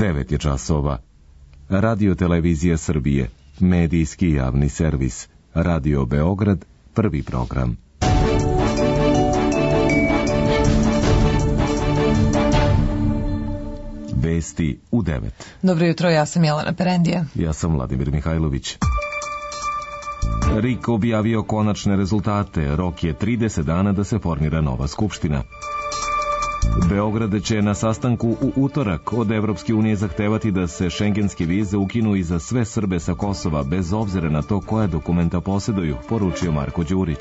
9 je časova. Radio Televizija Srbije, medijski javni servis. Radio Beograd, prvi program. Vesti u 9. Dobro jutro, ja sam Jelena Perendija. Ja sam Vladimir Mihajlović. RIK objavio konačne rezultate. Rok je 30 dana da se formira nova skupština. Beograd će na sastanku u utorak od Evropske unije zahtevati da se šengenske vize ukinu i za sve Srbe sa Kosova, bez obzira na to koje dokumenta posjeduju, poručio Marko Đurić.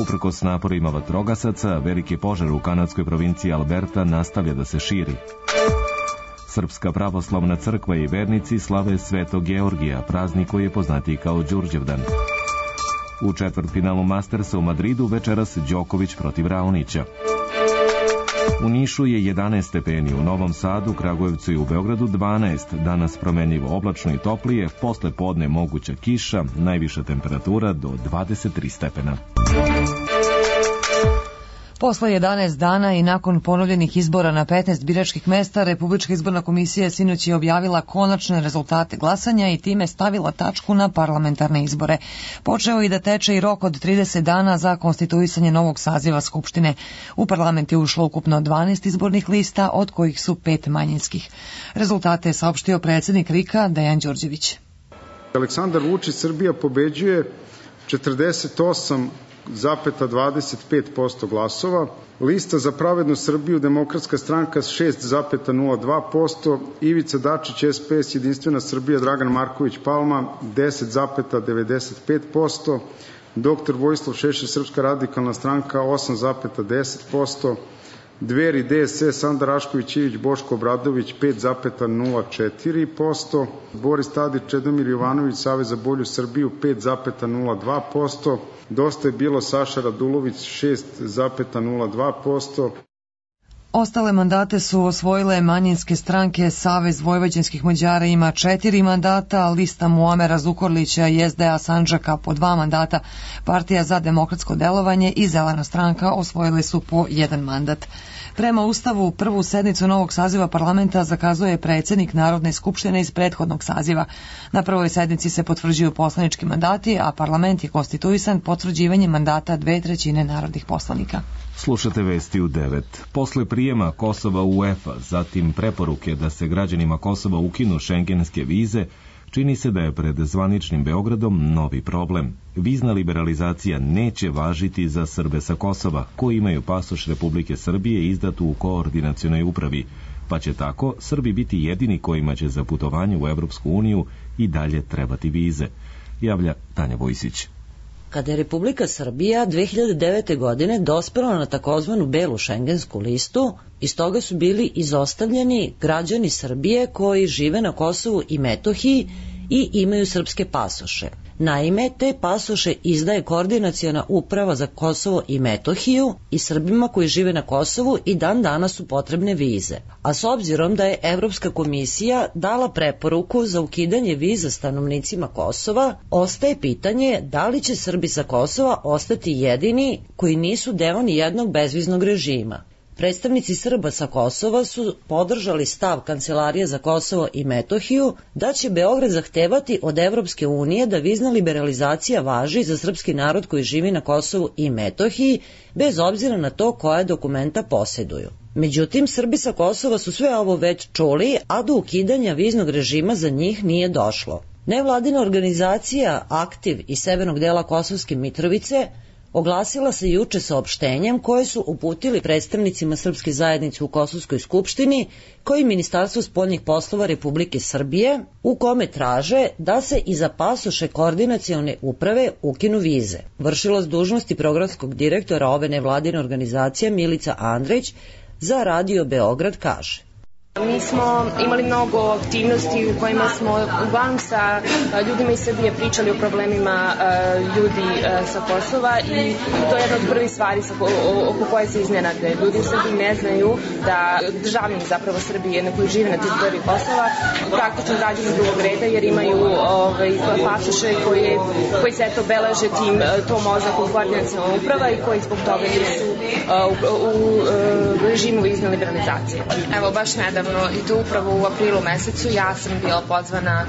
Uprkos naporima vatrogasaca, veliki požar u kanadskoj provinciji Alberta nastavlja da se širi. Srpska pravoslavna crkva i vernici slave Svetog Georgija, praznik koji je poznatiji kao Đurđevdan. U četvrtfinalu Mastersa u Madridu večeras Đoković protiv Raonića. U Nišu je 11 stepeni, u Novom Sadu, Kragujevcu i u Beogradu 12, danas promenljivo oblačno i toplije, posle podne moguća kiša, najviša temperatura do 23 stepena. Posle 11 dana i nakon ponovljenih izbora na 15 biračkih mesta, Republička izborna komisija sinoć je objavila konačne rezultate glasanja i time stavila tačku na parlamentarne izbore. Počeo i da teče i rok od 30 dana za konstituisanje novog saziva Skupštine. U parlament je ušlo ukupno 12 izbornih lista, od kojih su 5 manjinskih. Rezultate je saopštio predsjednik RIK-a Dejan Đurđević. Aleksandar Vučić, Srbija pobeđuje 48,25% glasova, lista za pravednu Srbiju, Demokratska stranka 6,02%, Ivica Dačić, SPS, Jedinstvena Srbija, Dragan Marković Palma 10,95%, dr. Vojislav Šešelj, Srpska radikalna stranka 8,10%, Dveri, DSS, Sanda Rašković Ivić, Boško Obradović 5,04%, Boris Tadić, Čedomir Jovanović, Savez za bolju Srbiju 5,02%, Dosta je bilo Saša Radulović 6,02%. Ostale mandate su osvojile manjinske stranke. Savez vojvođanskih Mađara ima 4 mandata, lista Muamera Zukorlića i SDA Sandžaka po 2 mandata, Partija za demokratsko delovanje i Zelena stranka osvojile su po 1 mandat. Prema Ustavu, prvu sednicu novog saziva parlamenta zakazuje predsjednik Narodne skupštine iz prethodnog saziva. Na prvoj sednici se potvrđuju poslanički mandati, a parlament je konstituisan potvrđivanjem mandata 2/3 narodnih poslanika. Slušate vesti u 9. Posle prijema Kosova u UEFA, zatim preporuke da se građanima Kosova ukinu šengenske vize, čini se da je pred zvaničnim Beogradom novi problem. Vizna liberalizacija neće važiti za Srbe sa Kosova, koji imaju pasoš Republike Srbije izdatu u koordinacionoj upravi, pa će tako Srbi biti jedini kojima će za putovanje u Evropsku uniju i dalje trebati vize, javlja Tanja Vojsić. Kada je Republika Srbija 2009. godine dospela na takozvanu belu šengensku listu, iz toga su bili izostavljeni građani Srbije koji žive na Kosovu i Metohiji i imaju srpske pasoše. Naime, te pasoše izdaje Koordinaciona uprava za Kosovo i Metohiju i Srbima koji žive na Kosovu i dan danas su potrebne vize. A s obzirom da je Evropska komisija dala preporuku za ukidanje viza stanovnicima Kosova, ostaje pitanje da li će Srbi sa Kosova ostati jedini koji nisu deo ni jednog bezviznog režima. Predstavnici Srba sa Kosova su podržali stav Kancelarije za Kosovo i Metohiju da će Beograd zahtevati od Evropske unije da vizna liberalizacija važi za srpski narod koji živi na Kosovu i Metohiji, bez obzira na to koja dokumenta posjeduju. Međutim, Srbi sa Kosova su sve ovo već čuli, a do ukidanja viznog režima za njih nije došlo. Nevladina organizacija Aktiv iz severnog dela Kosovske Mitrovice oglasila se juče saopštenjem koje su uputili predstavnicima srpske zajednice u Kosovskoj skupštini, koji Ministarstvo spoljnih poslova Republike Srbije, u kome traže da se i za pasoše Koordinacione uprave ukinu vize. Vršilac dužnosti programskog direktora ove nevladine organizacije Milica Andrić za Radio Beograd kaže: Mi smo imali mnogo aktivnosti u kojima smo uglavnom sa ljudima iz Srbije pričali o problemima ljudi sa Kosova i to je jedna od prvih stvari oko koje se iznenade. Ljudi u Srbiji ne znaju da državljani zapravo Srbije na koji žive na teritoriji Kosova praktično građani drugog reda jer imaju pasoše koji se eto beleže tom oznakom koordinaciona uprava i koji zbog toga nisu u režimu vizne liberalizacije. Evo baš nedavno naravno, i to upravo u aprilu mesecu. Ja sam bila pozvana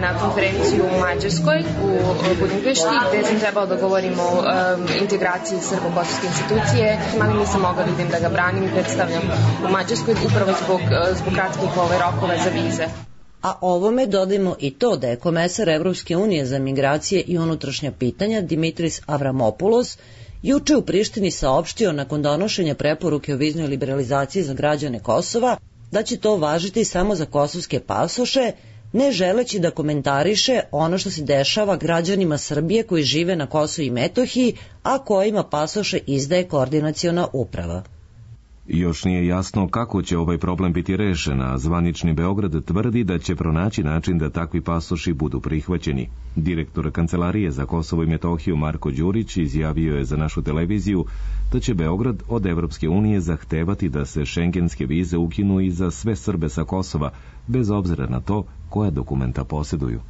na konferenciju u Mađarskoj, u Budimpešti, gde sam trebala da govorim o integraciji srbo-kosovske institucije, ali nisam mogla da ga branim i predstavljam u Mađarskoj upravo zbog kratkih rokova za vize. A ovome dodajmo i to da je komesar Evropske unije za migracije i unutrašnja pitanja Dimitris Avramopoulos juče u Prištini saopštio nakon donošenja preporuke o viznoj liberalizaciji za građane Kosova da će to važiti samo za kosovske pasoše, ne želeći da komentariše ono što se dešava građanima Srbije koji žive na Kosovu i Metohiji, a kojima pasoše izdaje koordinaciona uprava. Još nije jasno kako će ovaj problem biti rešen, a zvanični Beograd tvrdi da će pronaći način da takvi pasoši budu prihvaćeni. Direktor Kancelarije za Kosovo i Metohiju Marko Đurić izjavio je za našu televiziju da će Beograd od Evropske unije zahtevati da se šengenske vize ukinu i za sve Srbe sa Kosova, bez obzira na to koja dokumenta posjeduju.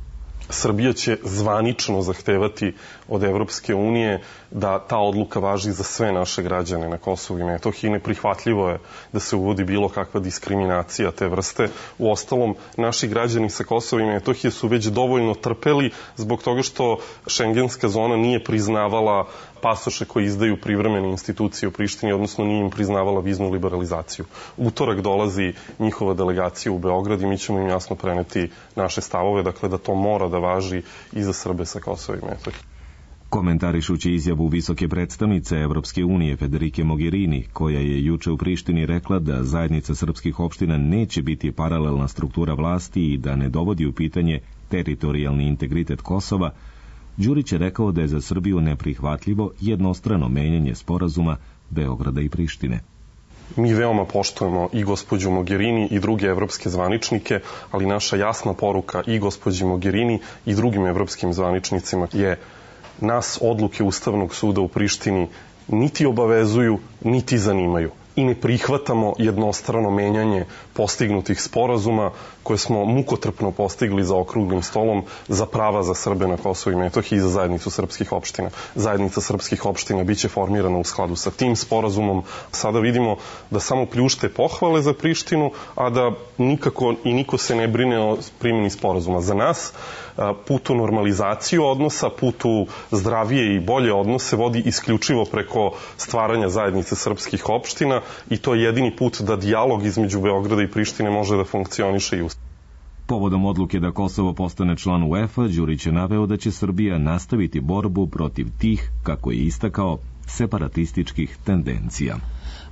Srbija će zvanično zahtevati od Evropske unije da ta odluka važi za sve naše građane na Kosovu i Metohiji. Neprihvatljivo je da se uvodi bilo kakva diskriminacija te vrste. Uostalom, naši građani sa Kosova i Metohije su već dovoljno trpeli zbog toga što šengenska zona nije priznavala pasoše koji izdaju privremene institucije u Prištini, odnosno nije im priznavala viznu liberalizaciju. Utorak dolazi njihova delegacija u Beograd i mi ćemo im jasno preneti naše stavove, dakle da to mora da važi i za Srbe sa Kosova i Metohije. Komentarišući izjavu visoke predstavnice Evropske unije Federike Mogherini, koja je juče u Prištini rekla da zajednica srpskih opština neće biti paralelna struktura vlasti i da ne dovodi u pitanje teritorijalni integritet Kosova, Đurić je rekao da je za Srbiju neprihvatljivo jednostrano menjanje sporazuma Beograda i Prištine. Mi veoma poštujemo i gospođu Mogherini i druge evropske zvaničnike, ali naša jasna poruka i gospođi Mogherini i drugim evropskim zvaničnicima je nas odluke Ustavnog suda u Prištini niti obavezuju, niti zanimaju. I ne prihvatamo jednostrano menjanje postignutih sporazuma koje smo mukotrpno postigli za okruglim stolom za prava za Srbe na Kosovu i Metohiji i za zajednicu srpskih opština. Zajednica srpskih opština biće formirana u skladu sa tim sporazumom. Sada vidimo da samo pljušte pohvale za Prištinu, a da nikako i niko se ne brine o primjeni sporazuma. Za nas put u normalizaciju odnosa, put u zdravije i bolje odnose vodi isključivo preko stvaranja zajednice srpskih opština i to je jedini put da dijalog između Beograda i Prištine može da funkcioniše i uspije. Povodom odluke da Kosovo postane član UEFA, Đurić je naveo da će Srbija nastaviti borbu protiv tih, kako je istakao, separatističkih tendencija.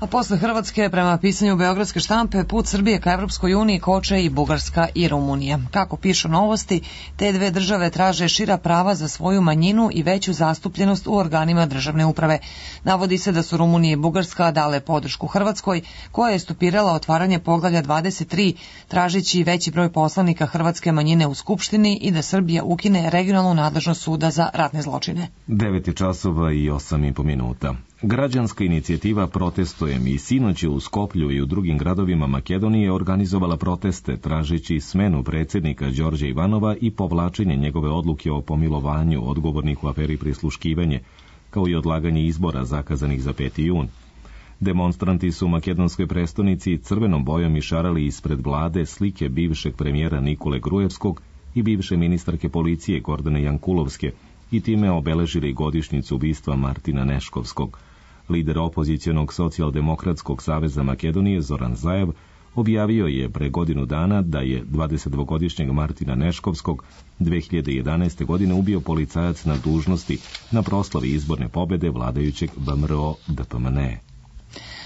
A posle Hrvatske, prema pisanju beogradske štampe, put Srbije ka Evropskoj uniji koče i Bugarska i Rumunija. Kako pišu Novosti, te dve države traže šira prava za svoju manjinu i veću zastupljenost u organima državne uprave. Navodi se da su Rumunija i Bugarska dale podršku Hrvatskoj, koja je stopirala otvaranje poglavlja 23, tražeći veći broj poslanika hrvatske manjine u Skupštini i da Srbija ukine regionalnu nadležnost suda za ratne zločine. 9 časova i 8,5 minuta. Građanska inicijativa Protestujem i sinoć je u Skoplju i u drugim gradovima Makedonije organizovala proteste tražeći smenu predsjednika Đorđa Ivanova i povlačenje njegove odluke o pomilovanju odgovornih u aferi prisluškivanje, kao i odlaganje izbora zakazanih za 5. jun. Demonstranti su u makedonskoj prestonici crvenom bojom išarali ispred vlade slike bivšeg premijera Nikole Grujevskog i bivše ministarke policije Gordane Jankulovske i time obeležili godišnjicu ubistva Martina Neškovskog. Lider opozicionog socijaldemokratskog saveza Makedonije Zoran Zaev objavio je pre godinu dana da je 22-godišnjeg Martina Neškovskog 2011. godine ubio policajac na dužnosti na proslavi izborne pobede vladajućeg VMRO-DPMNE.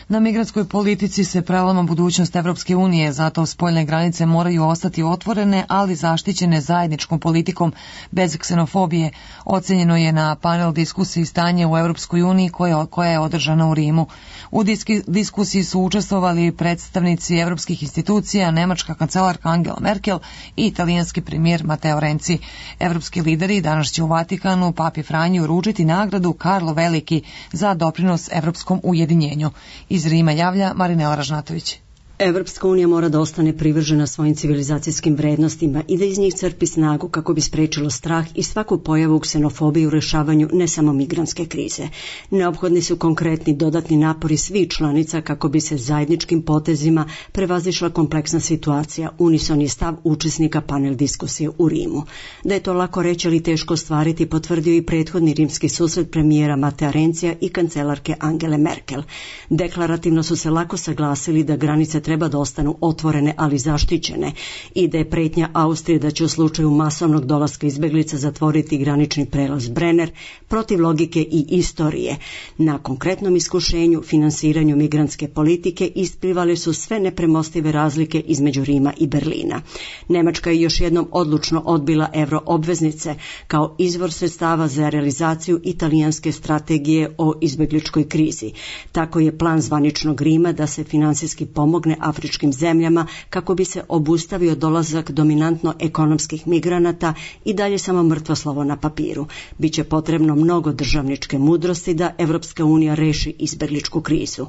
Na migrantskoj politici se prelama budućnost Evropske unije, zato spoljne granice moraju ostati otvorene, ali zaštićene zajedničkom politikom bez ksenofobije. Ocenjeno je na panel diskusiji stanje u Evropskoj uniji koja je održana u Rimu. U diskusiji su učestvovali predstavnici evropskih institucija, nemačka kancelarka Angela Merkel i italijanski premijer Matteo Renzi. Evropski lideri danas će u Vatikanu Papi Franju uručiti nagradu Karlo Veliki za doprinos evropskom ujedinjenju. Iz Rima javlja Marinela Ražnatović. Evropska unija mora da ostane privržena svojim civilizacijskim vrednostima i da iz njih crpi snagu kako bi sprečilo strah i svaku pojavu ksenofobije u rešavanju ne samo migrantske krize. Neophodni su konkretni dodatni napori svih članica kako bi se zajedničkim potezima prevazišla kompleksna situacija, unison je stav učesnika panel diskusije u Rimu. Da je to lako reći ali teško ostvariti potvrdio i prethodni rimski susret premijera Matea Renzija i kancelarke Angele Merkel. Deklarativno su se lako saglasili da granice treba da ostanu otvorene, ali zaštićene i da je pretnja Austrije da će u slučaju masovnog dolaska izbeglica zatvoriti granični prelaz Brenner protiv logike i istorije. Na konkretnom iskušenju, finansiranju migrantske politike isplivale su sve nepremostive razlike između Rima i Berlina. Nemačka je još jednom odlučno odbila euroobveznice kao izvor sredstava za realizaciju italijanske strategije o izbegličkoj krizi. Tako je plan zvaničnog Rima da se finansijski pomogne afričkim zemljama kako bi se obustavio dolazak dominantno ekonomskih migranata i dalje samo mrtvo slovo na papiru. Biće potrebno mnogo državničke mudrosti da Evropska unija reši izbegličku krizu.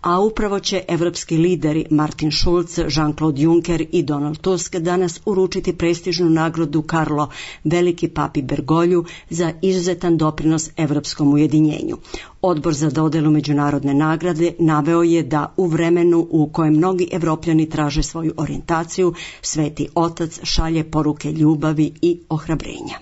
A upravo će evropski lideri Martin Schulz, Jean-Claude Juncker i Donald Tusk danas uručiti prestižnu nagradu Karlo Veliki papi Bergolju za izuzetan doprinos evropskom ujedinjenju. Odbor za dodelu međunarodne nagrade naveo je da u vremenu u kojem mnogi Evropljani traže svoju orijentaciju, Sveti Otac šalje poruke ljubavi i ohrabrenja.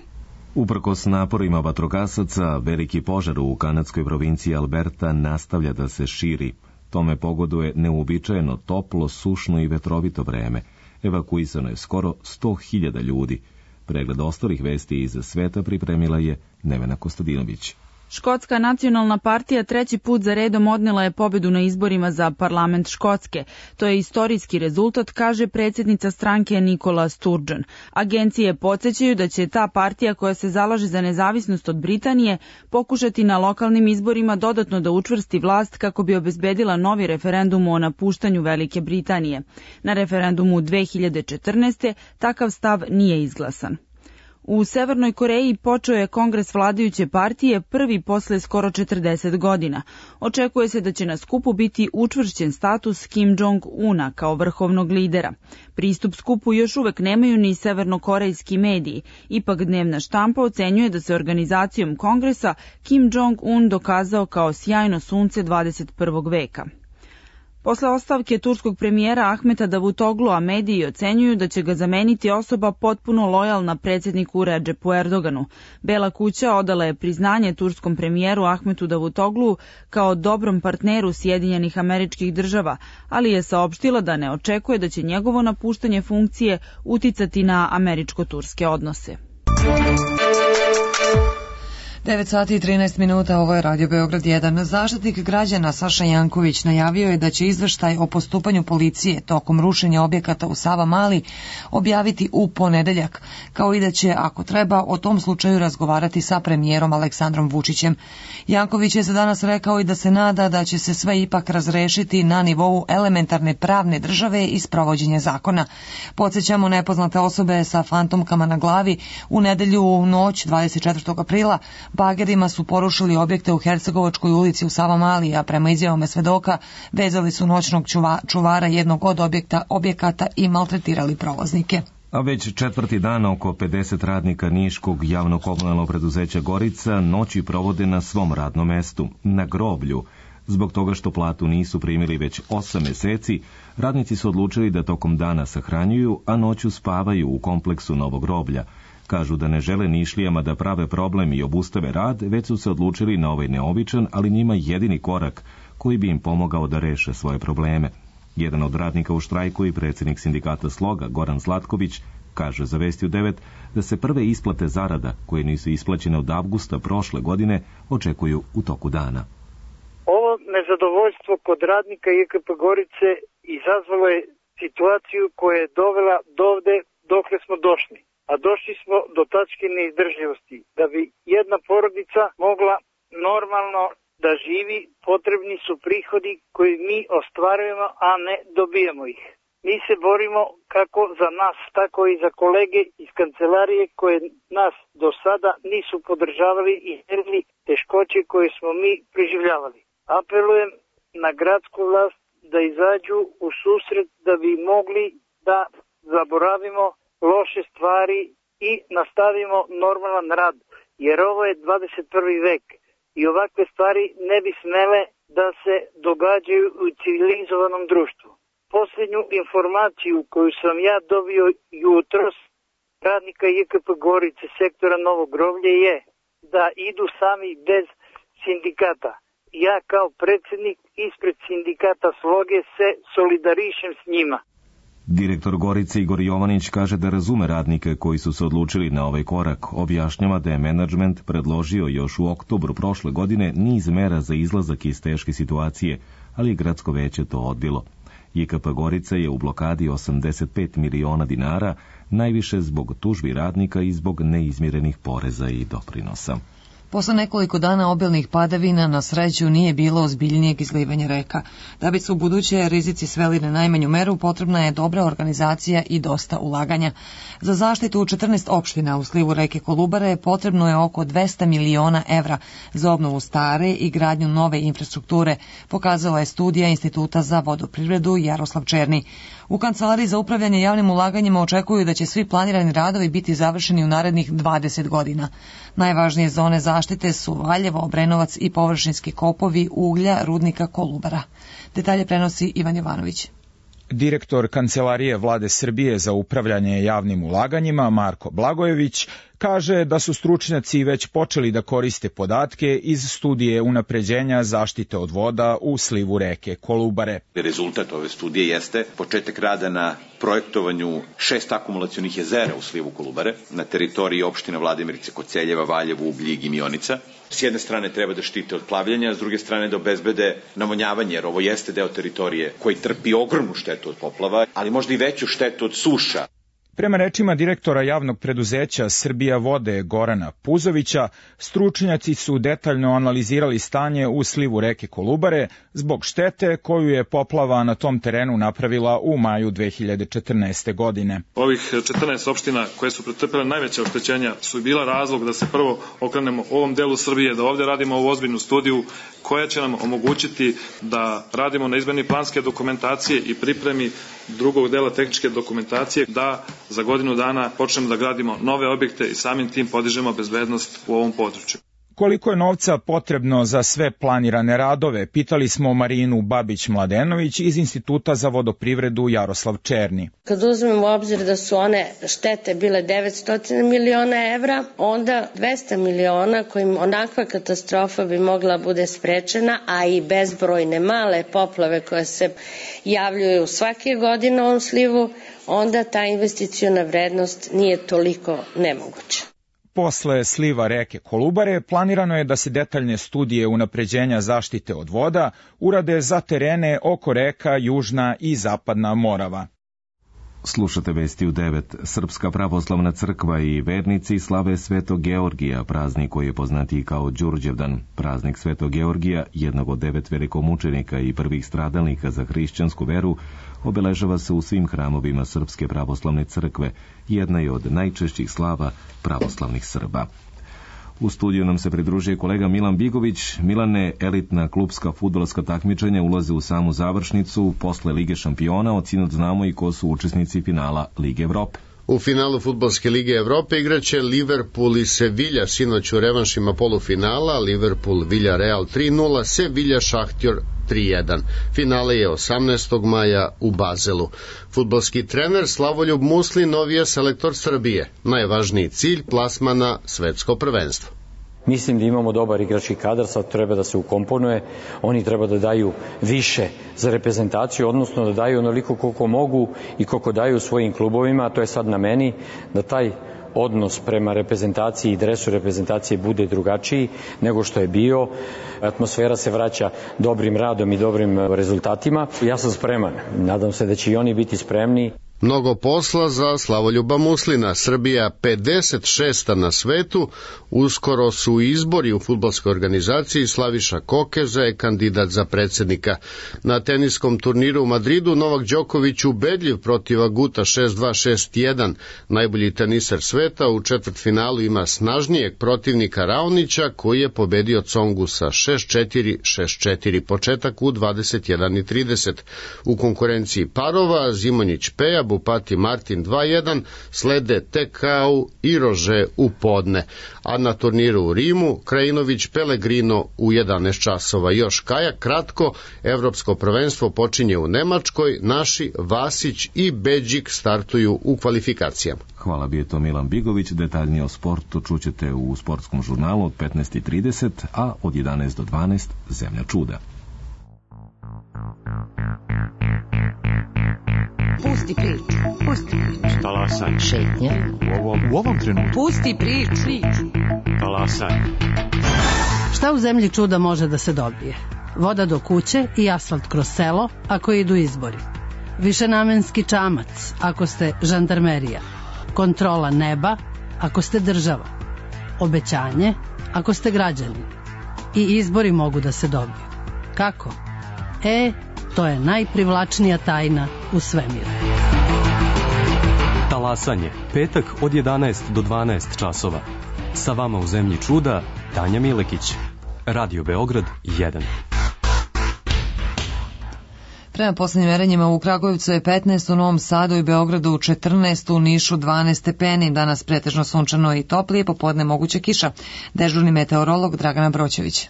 Uprkos naporima vatrogasaca, veliki požar u kanadskoj provinciji Alberta nastavlja da se širi. Tome pogoduje neuobičajeno toplo, sušno i vetrovito vreme. Evakuisano je skoro 100.000 ljudi. Pregled ostalih vesti iz sveta pripremila je Nevena Kostadinović. Škotska nacionalna partija treći put za redom odnela je pobedu na izborima za parlament Škotske. To je istorijski rezultat, kaže predsjednica stranke Nicola Sturgeon. Agencije podsećaju da će ta partija koja se zalaže za nezavisnost od Britanije pokušati na lokalnim izborima dodatno da učvrsti vlast kako bi obezbedila novi referendum o napuštanju Velike Britanije. Na referendumu 2014. takav stav nije izglasan. U Severnoj Koreji počeo je kongres vladajuće partije prvi posle skoro 40 godina. Očekuje se da će na skupu biti učvršćen status Kim Jong-una kao vrhovnog lidera. Pristup skupu još uvek nemaju ni severnokorejski mediji. Ipak dnevna štampa ocenjuje da se organizacijom kongresa Kim Jong-un dokazao kao sjajno sunce 21. veka. Posle ostavke turskog premijera Ahmeta Davutoglua mediji ocenjuju da će ga zameniti osoba potpuno lojalna predsjedniku Redžepu Erdoganu. Bela kuća odala je priznanje turskom premijeru Ahmetu Davutogluu kao dobrom partneru Sjedinjenih Američkih Država, ali je saopštila da ne očekuje da će njegovo napuštanje funkcije uticati na američko-turske odnose. 9 sati i 13 minuta, ovo je Radio Beograd 1. Zaštitnik građana Saša Janković najavio je da će izveštaj o postupanju policije tokom rušenja objekata u Savamali objaviti u ponedeljak, kao i da će, ako treba, o tom slučaju razgovarati sa premijerom Aleksandrom Vučićem. Janković je za danas rekao i da se nada da će se sve ipak razrešiti na nivou elementarne pravne države i sprovođenja zakona. Podsjećamo, nepoznate osobe sa fantomkama na glavi u nedelju u noć 24. aprila bagerima su porušili objekte u Hercegovačkoj ulici u Savamali, a prema izjavama svedoka vezali su noćnog čuvara jednog od objekata i maltretirali prolaznike. A već četvrti dan oko 50 radnika Niškog javno-komunalnog preduzeća Gorica noći provode na svom radnom mestu, na groblju. Zbog toga što platu nisu primili već 8 meseci, radnici su odlučili da tokom dana sahranjuju, a noću spavaju u kompleksu Novog groblja. Kažu da ne žele Nišlijama da prave problem i obustave rad, već su se odlučili na ovaj neobičan, ali njima jedini korak koji bi im pomogao da reše svoje probleme. Jedan od radnika u štrajku i predsjednik sindikata Sloga, Goran Zlatković, kaže za Vesti u 9 da se prve isplate zarada, koje nisu isplaćene od avgusta prošle godine, očekuju u toku dana. Ovo nezadovoljstvo kod radnika IKP Gorice izazvalo je situaciju koja je dovela dovde dokle smo došli. A došli smo do tačke neizdrživosti. Da bi jedna porodica mogla normalno da živi, potrebni su prihodi koji mi ostvarujemo, a ne dobijemo ih. Mi se borimo kako za nas, tako i za kolege iz kancelarije koje nas do sada nisu podržavali i merili teškoće koje smo mi preživljavali. Apelujem na gradsku vlast da izađu u susret da bi mogli da zaboravimo loše stvari i nastavimo normalan rad, jer ovo je 21. vek i ovakve stvari ne bi smele da se događaju u civilizovanom društvu. Posljednju informaciju koju sam ja dobio jutros radnika JKP Gorice sektora Novo Groblje je da idu sami bez sindikata. Ja kao predsjednik ispred sindikata Sloge se solidarišem s njima. Direktor Gorice Igor Jovanić kaže da razume radnike koji su se odlučili na ovaj korak. Objašnjava da je menadžment predložio još u oktobru prošle godine niz mera za izlazak iz teške situacije, ali je gradsko veće to odbilo. JKP Gorica je u blokadi 85 miliona dinara, najviše zbog tužbi radnika i zbog neizmirenih poreza i doprinosa. Posle nekoliko dana obilnih padavina na sreću nije bilo ozbiljnijeg izlivanja reka. Da bi se u buduće rizici sveli na najmanju meru, potrebna je dobra organizacija i dosta ulaganja. Za zaštitu 14 opština u slivu reke Kolubare potrebno je oko 200 miliona evra za obnovu stare i gradnju nove infrastrukture, pokazala je studija Instituta za vodoprivredu Jaroslav Černi. U Kancelariji za upravljanje javnim ulaganjima očekuju da će svi planirani radovi biti završeni u narednih 20 godina. Najvažnije zone zaštite su Valjevo, Obrenovac i površinski kopovi uglja rudnika Kolubara. Detalje prenosi Ivan Jovanović. Direktor Kancelarije Vlade Srbije za upravljanje javnim ulaganjima Marko Blagojević kaže da su stručnjaci već počeli da koriste podatke iz studije unapređenja zaštite od voda u slivu reke Kolubare. Rezultat ove studije jeste početak rada na projektovanju 6 akumulacionih jezera u slivu Kolubare na teritoriji opština Vladimirice, Koceljeva, Valjevo, Ugljig i Mionica. S jedne strane treba da štite od plavljenja, s druge strane da obezbede navodnjavanje, jer ovo jeste deo teritorije koji trpi ogromnu štetu od poplava, ali možda i veću štetu od suša. Prema rečima direktora javnog preduzeća Srbija vode Gorana Puzovića, stručnjaci su detaljno analizirali stanje u slivu reke Kolubare zbog štete koju je poplava na tom terenu napravila u maju 2014. godine. Ovih 14 opština koje su pretrpele najveće oštećenja su bila razlog da se prvo okrenemo ovom delu Srbije, da ovdje radimo ovu ozbiljnu studiju koja će nam omogućiti da radimo na izmeni planske dokumentacije i pripremi drugog dela tehničke dokumentacije, da za godinu dana počnemo da gradimo nove objekte i samim tim podižemo bezbednost u ovom području. Koliko je novca potrebno za sve planirane radove, pitali smo Marinu Babić-Mladenović iz Instituta za vodoprivredu Jaroslav Černi. Kad uzmemo u obzir da su one štete bile 900 miliona evra, onda 200 miliona kojim onakva katastrofa bi mogla bude sprečena, a i bezbrojne male poplave koje se javljaju svake godine u ovom slivu, onda ta investiciona vrednost nije toliko nemoguća. Posle sliva reke Kolubare planirano je da se detaljne studije unapređenja zaštite od voda urade za terene oko reka Južna i Zapadna Morava. Slušate vesti u 9. Srpska pravoslavna crkva i vernici slave Svetog Georgija, praznik koji je poznatiji kao Đurđevdan. Praznik Svetog Georgija, jednog od 9 velikomučenika i prvih stradalnika za hrišćansku veru, obeležava se u svim hramovima Srpske pravoslavne crkve, jedna je od najčešćih slava pravoslavnih Srba. U studiju nam se pridružuje kolega Milan Bigović. Milane, elitna klubska fudbalska takmičenja ulaze u samu završnicu. Posle Lige šampiona od sinoć znamo i ko su učesnici finala Lige Evrope. U finalu Fudbalske lige Evrope igraće Liverpool i Sevilla, sinoć u revanšima polufinala, Liverpool Villarreal 3-0, Sevilla Šahtjor 3-1. Finale je 18. maja u Bazelu. Fudbalski trener Slavoljub Musli novi je selektor Srbije. Najvažniji cilj plasma na svetsko prvenstvo. Mislim da imamo dobar igrački kadar, sad treba da se ukomponuje, oni treba da daju više za reprezentaciju, odnosno da daju onoliko koliko mogu i koliko daju svojim klubovima, a to je sad na meni, da taj odnos prema reprezentaciji i dresu reprezentacije bude drugačiji nego što je bio. Atmosfera se vraća dobrim radom i dobrim rezultatima. Ja sam spreman, nadam se da će i oni biti spremni. Mnogo posla za Slavoljuba Muslina. Srbija 56. na svetu. Uskoro su izbori u fudbalskoj organizaciji. Slaviša Kokeza je kandidat za predsjednika. Na teniskom turniru u Madridu Novak Đoković ubedljiv protiv Aguta 6-2, 6-1. Najbolji teniser sveta u četvrtfinalu ima snažnijeg protivnika Raonića koji je pobedio Tsongu sa 6-4, 6-4. Početak u 21:30. U konkurenciji parova Zimonjić Peja, Bupati Martin 2-1, slede Tekau i Rože u podne. A na turniru u Rimu Krajinović Pellegrino u 11 časova. Još kajak kratko, evropsko prvenstvo počinje u Nemačkoj, naši Vasić i Beđik startuju u kvalifikacijama. Hvala, bio je to Milan Bigović. Detaljnije o sportu čućete u sportskom žurnalu od 15:30, a od 11 do 12 Zemlja čuda. Pusti priču. Pusti priču. Talasaj. Šetnja. U ovom trenutku. Pusti priču. Talasaj. Šta u zemlji čuda može da se dobije? Voda do kuće i asfalt kroz selo ako idu izbori. Višenamenski čamac ako ste žandarmerija. Kontrola neba ako ste država. Obećanje ako ste građani. I izbori mogu da se dobiju. Kako? To je najprivlačnija tajna u svemiru. Talasanje, petak od 11 do 12 časova. Sa vama u Zemlji čuda, Tanja Milekić. Radio Beograd 1. Prema poslednjim merenjima u Kragujevcu je 15, u Novom Sadu i Beogradu 14, u Nišu 12 stepeni. Danas pretežno sunčano i toplije, popodne moguća kiša. Dežurni meteorolog Dragana Broćević.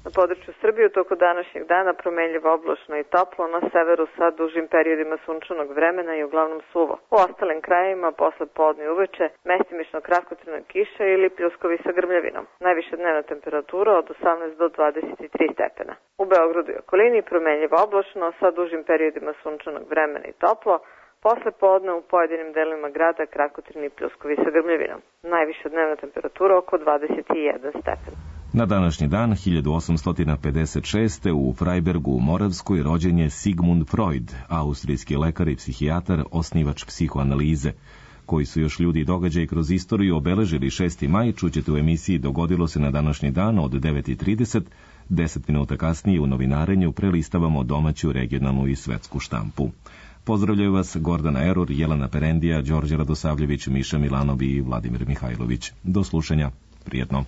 Na području Srbije u toku današnjeg dana promenljivo oblačno i toplo, na severu sa dužim periodima sunčanog vremena i uglavnom suvo. U ostalim krajevima posle podne i uveče mestimično kratkotrajna kiša ili pljuskovi sa grmljavinom. Najviša dnevna temperatura od 18 do 23 stepena. U Beogradu i okolini promenljivo oblačno sa dužim periodima sunčanog vremena i toplo, posle podne u pojedinim delovima grada kratkotrajni pljuskovi sa grmljavinom. Najviša dnevna temperatura oko 21 stepen. Na današnji dan 1856. u Freibergu u Moravskoj rođen je Sigmund Freud, austrijski lekar i psihijatar, osnivač psihoanalize. Koji su još ljudi i događaji kroz istoriju obeležili 6. maj, čućete u emisiji Dogodilo se na današnji dan od 9:30. 10 minuta kasnije u novinarenju prelistavamo domaću, regionalnu i svetsku štampu. Pozdravljaju vas Gordana Erur, Jelena Perendija, Đorđe Radosavljević, Miša Milanov i Vladimir Mihajlović. Do slušanja. Prijetno.